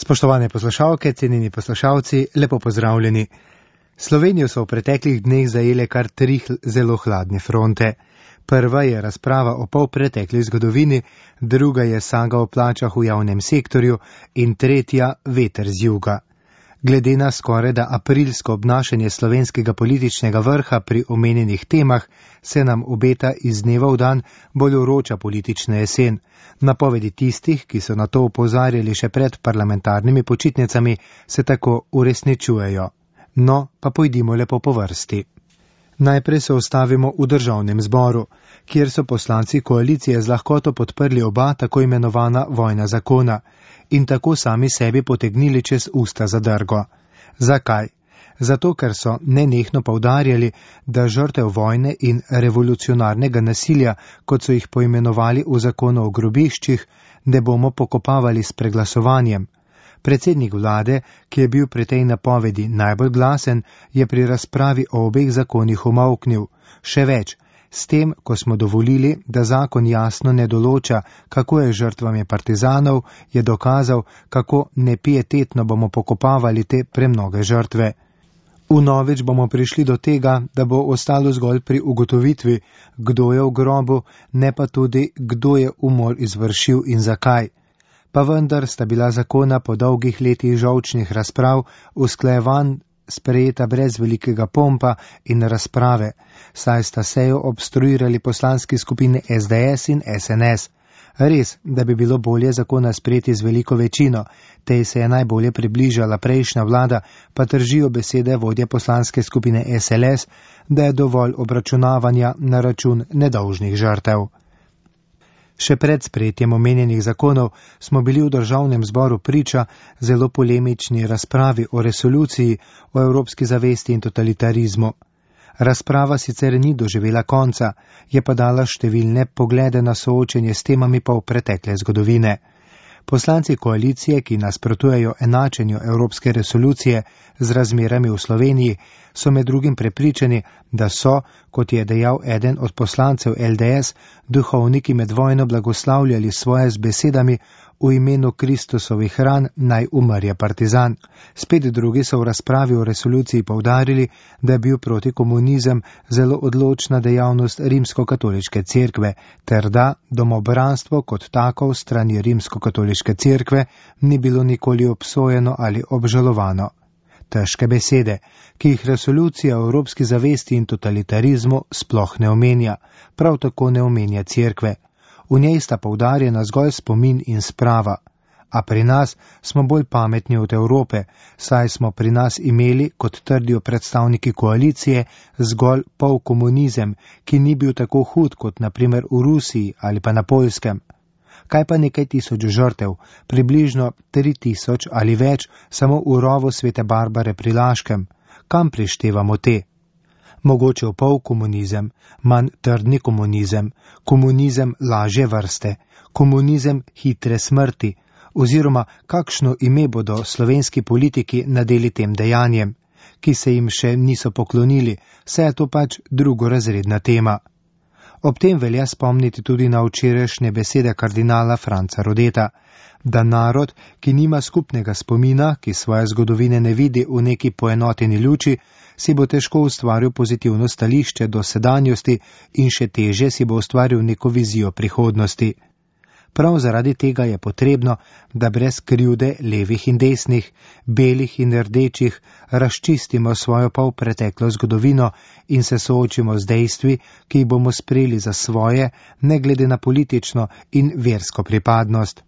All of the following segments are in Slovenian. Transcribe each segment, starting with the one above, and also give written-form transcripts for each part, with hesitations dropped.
Spoštovane poslušalke, cenjeni poslušalci, lepo pozdravljeni. Slovenijo so v preteklih dneh zajele kar 3 zelo hladne fronte. Prva je razprava o polpretekli zgodovini, druga je saga o plačah v javnem sektorju in tretja veter z juga. Glede na skorajda aprilsko obnašanje slovenskega političnega vrha pri omenjenih temah, se nam obeta iz dneva v dan bolj vroča politična jesen. Napovedi tistih, ki so na to opozarjali še pred parlamentarnimi počitnicami, se tako uresničujejo. No, pa pojdimo lepo po vrsti. Najprej se ustavimo v državnem zboru, kjer so poslanci koalicije z lahkoto podprli oba tako imenovana vojna zakona in tako sami sebi potegnili čez usta zadrgo. Zakaj? Zato, ker so nenehno poudarjali, da žrtev vojne in revolucionarnega nasilja, kot so jih poimenovali v zakonu o grobiščih, ne bomo pokopavali s preglasovanjem. Predsednik vlade, ki je bil pri tej napovedi najbolj glasen, je pri razpravi o obeh zakonih umolknil. Še več, s tem, ko smo dovolili, da zakon jasno ne določa, kako je žrtvami partizanov, je dokazal, kako nepietetno bomo pokopavali te premnoge žrtve. Vnovič bomo prišli do tega, da bo ostalo zgolj pri ugotovitvi, kdo je v grobu, ne pa tudi, kdo je umor izvršil in zakaj. Pa vendar sta bila zakona po dolgih letih žolčnih razprav usklajevan sprejeta brez velikega pompa in razprave, saj sta sejo obstruirali poslanski skupini SDS in SNS. Res, da bi bilo bolje zakona sprejeti z veliko večino, tej se je najbolje približala prejšnja vlada, pa držijo besede vodje poslanske skupine SLS, da je dovolj obračunavanja na račun nedolžnih žrtev. Še pred sprejetjem omenjenih zakonov smo bili v državnem zboru priča zelo polemični razpravi o resoluciji o evropski zavesti in totalitarizmu. Razprava sicer ni doživela konca, je pa dala številne poglede na soočenje s temami polpretekle zgodovine. Poslanci koalicije, ki nasprotujejo enačenju evropske resolucije z razmerami v Sloveniji, so med drugim prepričani, da so, kot je dejal eden od poslancev LDS, duhovniki med vojno blagoslavljali svoje z besedami v imenu Kristusovih ran naj umrje partizan. Spet drugi so v razpravi o resoluciji poudarili, da je bil protikomunizem zelo odločna dejavnost rimskokatoliške cerkve, ter da domobranstvo kot tako v strani rimskokatoliške cerkve ni bilo nikoli obsojeno ali obžalovano. Težke besede, ki jih resolucija o evropski zavesti in totalitarizmu sploh ne omenja, prav tako ne omenja cerkve. V njej sta poudarjena zgolj spomin in sprava, a pri nas smo bolj pametni od Evrope, saj smo pri nas imeli, kot trdijo predstavniki koalicije, zgolj polkomunizem, ki ni bil tako hud kot naprimer v Rusiji ali pa na Poljskem. Kaj pa nekaj tisoč žrtev, približno 3000 ali več, samo v rovu Svete Barbare pri Laškem? Kam prištevamo te? Mogoče v polkomunizem, manj trdni komunizem, komunizem lažje vrste, komunizem hitre smrti, oziroma kakšno ime bodo slovenski politiki nadeli tem dejanjem, ki se jim še niso poklonili, saj je to pač drugorazredna tema. Ob tem velja spomniti tudi na včerajšnje besede kardinala Franca Rodeta, da narod, ki nima skupnega spomina, ki svoje zgodovine ne vidi v neki poenoteni luči, si bo težko ustvaril pozitivno stališče do sedanjosti in še teže si bo ustvaril neko vizijo prihodnosti. Prav zaradi tega je potrebno, da brez krivde levih in desnih, belih in rdečih, razčistimo svojo polpreteklo zgodovino in se soočimo z dejstvi, ki jih bomo sprejeli za svoje, ne glede na politično in versko pripadnost.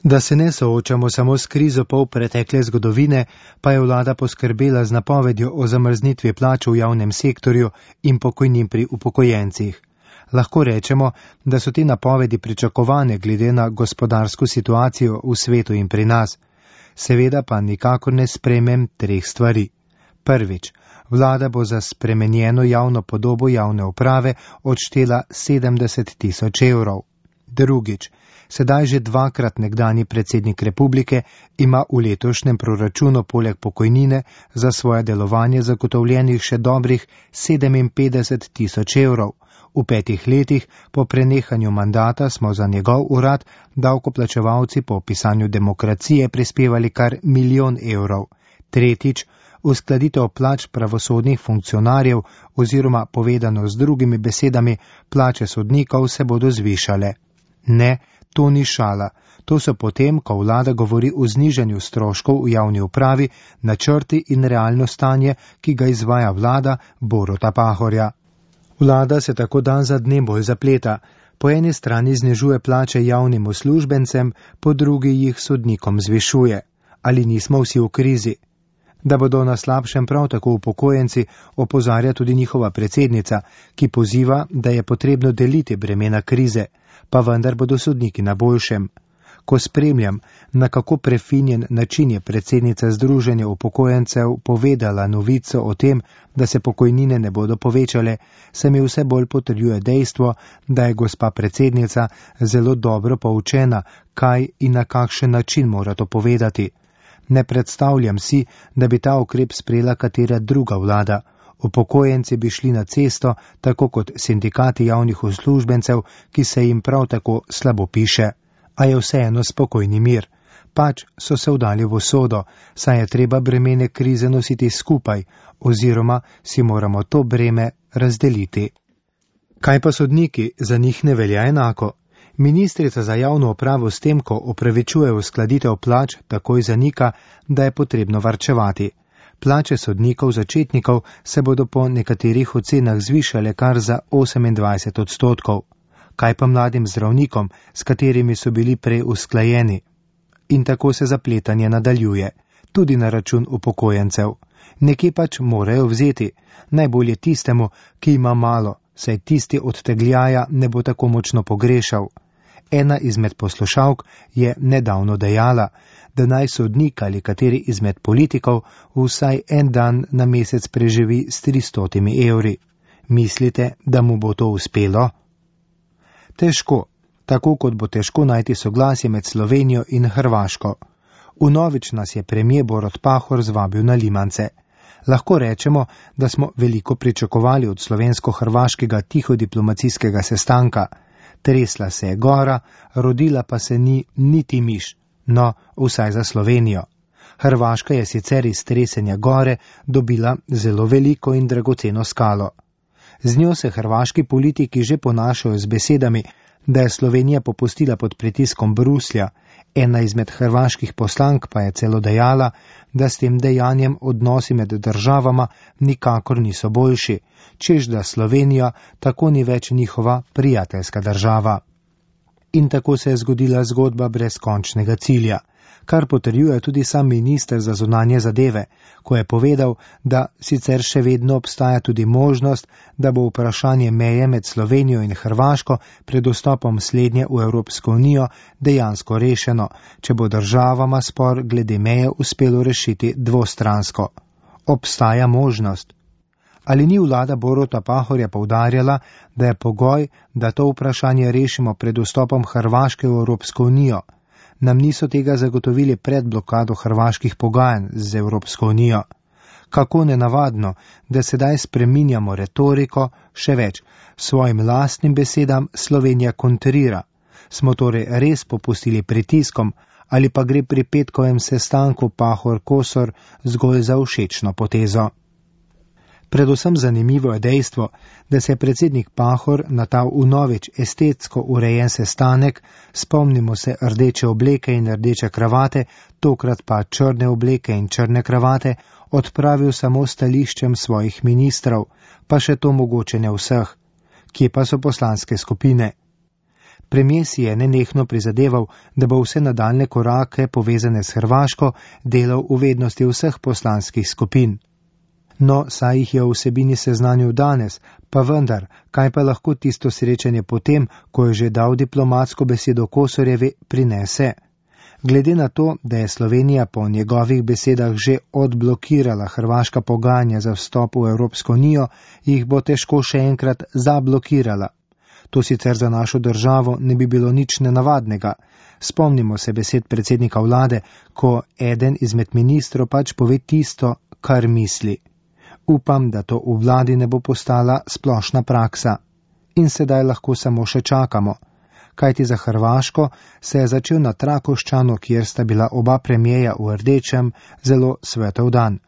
Da se ne soočamo samo s krizo polpretekle zgodovine, pa je vlada poskrbela z napovedjo o zamrznitvi plač v javnem sektorju in pokojnin pri upokojencih. Lahko rečemo, da so te napovedi pričakovane glede na gospodarsko situacijo v svetu in pri nas. Seveda pa nikakor ne sprejmem 3 stvari. Prvič, vlada bo za spremenjeno javno podobo javne uprave odštela 70 000 evrov. Drugič, sedaj že 2-krat nekdanji predsednik republike ima v letošnjem proračunu poleg pokojnine za svoje delovanje zagotovljenih še dobrih 57 000 evrov, V 5 letih po prenehanju mandata smo za njegov urad davkoplačevalci po pisanju Demokracije prispevali kar 1 milijon evrov. Tretjič, uskladitev plač pravosodnih funkcionarjev oziroma povedano z drugimi besedami, plače sodnikov se bodo zvišale. Ne, to ni šala. To so potem, ko vlada govori o znižanju stroškov v javni upravi, načrti in realno stanje, ki ga izvaja vlada Boruta Pahorja. Vlada se tako dan za dnem bolj zapleta. Po eni strani znižuje plače javnim uslužbencem, po drugi jih sodnikom zvišuje. Ali nismo vsi v krizi? Da bodo na slabšem prav tako upokojenci, opozarja tudi njihova predsednica, ki poziva, da je potrebno deliti bremena krize, pa vendar bodo sodniki na boljšem. Ko spremljam, na kako prefinjen način je predsednica Združenja upokojencev povedala novico o tem, da se pokojnine ne bodo povečale, se mi vse bolj potrjuje dejstvo, da je gospa predsednica zelo dobro poučena, kaj in na kakšen način mora to povedati. Ne predstavljam si, da bi ta ukrep sprejela katera druga vlada. Upokojenci bi šli na cesto, tako kot sindikati javnih uslužbencev, ki se jim prav tako slabo piše. A je vseeno spokojni mir. Pač so se vdali v usodo, saj je treba bremene krize nositi skupaj, oziroma si moramo to breme razdeliti. Kaj pa sodniki, za njih ne velja enako? Ministrica za javno upravo s tem, ko opravičuje uskladitev plač, takoj zanika, da je potrebno varčevati. Plače sodnikov začetnikov se bodo po nekaterih ocenah zvišale kar za 28%. Kaj pa mladim zdravnikom, s katerimi so bili prej usklajeni? In tako se zapletanje nadaljuje, tudi na račun upokojencev. Nekje pač morajo vzeti, najbolje tistemu, ki ima malo, saj tisti od tegljaja ne bo tako močno pogrešal. Ena izmed poslušalk je nedavno dejala, da naj sodnik ali kateri izmed politikov vsaj en dan na mesec preživi s 300 evri. Mislite, da mu bo to uspelo? Težko, tako kot bo težko najti soglasje med Slovenijo in Hrvaško. Vnovič nas je premier Borut Pahor zvabil na limance. Lahko rečemo, da smo veliko pričakovali od slovensko-hrvaškega tihodiplomacijskega sestanka. Tresla se je gora, rodila pa se ni niti miš, no, vsaj za Slovenijo. Hrvaška je sicer iz tresenja gore dobila zelo veliko in dragoceno skalo. Z njo se hrvaški politiki že ponašajo z besedami, da je Slovenija popustila pod pritiskom Bruslja, ena izmed hrvaških poslank pa je celo dejala, da s tem dejanjem odnosi med državama nikakor niso boljši, čež da Slovenija tako ni več njihova prijateljska država. In tako se je zgodila zgodba brez končnega cilja, kar potrjuje tudi sam minister za zunanje zadeve, ko je povedal, da sicer še vedno obstaja tudi možnost, da bo vprašanje meje med Slovenijo in Hrvaško pred vstopom slednje v Evropsko unijo dejansko rešeno, če bo državama spor glede meje uspelo rešiti dvostransko. Obstaja možnost. Ali ni vlada Boruta Pahorja poudarjala, da je pogoj, da to vprašanje rešimo pred vstopom Hrvaške v Evropsko unijo? Nam niso tega zagotovili pred blokado hrvaških pogajanj z Evropsko unijo. Kako nenavadno, da sedaj spreminjamo retoriko, še več, svojim lastnim besedam Slovenija kontrira. Smo torej res popustili pritiskom ali pa gre pri petkovem sestanku Pahor-Kosor zgolj za všečno potezo? Predvsem zanimivo je dejstvo, da se je predsednik Pahor na ta vnovič estetsko urejen sestanek, spomnimo se rdeče obleke in rdeče kravate, tokrat pa črne obleke in črne kravate, odpravil samo stališčem svojih ministrov, pa še to mogoče ne vseh. Kje pa so poslanske skupine? Premier si je nenehno prizadeval, da bo vse nadaljne korake povezane s Hrvaško delal v vednosti vseh poslanskih skupin. No, saj jih je v vsebini seznanil danes, pa vendar, kaj pa lahko tisto srečanje potem, ko je že dal diplomatsko besedo Kosorjevi, prinese? Glede na to, da je Slovenija po njegovih besedah že odblokirala hrvaška pogajanja za vstop v Evropsko unijo, jih bo težko še enkrat zablokirala. To sicer za našo državo ne bi bilo nič nenavadnega. Spomnimo se besed predsednika vlade, ko eden izmed ministrov pač pove tisto, kar misli. Upam, da to v vladi ne bo postala splošna praksa. in sedaj lahko samo še čakamo. Kajti za Hrvaško se je začel na Trakoščanu, kjer sta bila oba premijeja v rdečem, zelo svetov dan.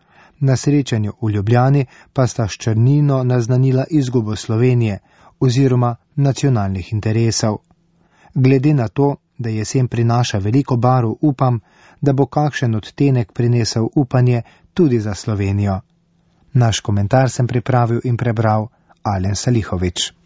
Na srečanju v Ljubljani pa sta s črnino naznanila izgubo Slovenije oziroma nacionalnih interesov. Glede na to, da jesen prinaša veliko barv, upam, da bo kakšen odtenek prinesel upanje tudi za Slovenijo. Naš komentar sem pripravil in prebral Alen Salihović.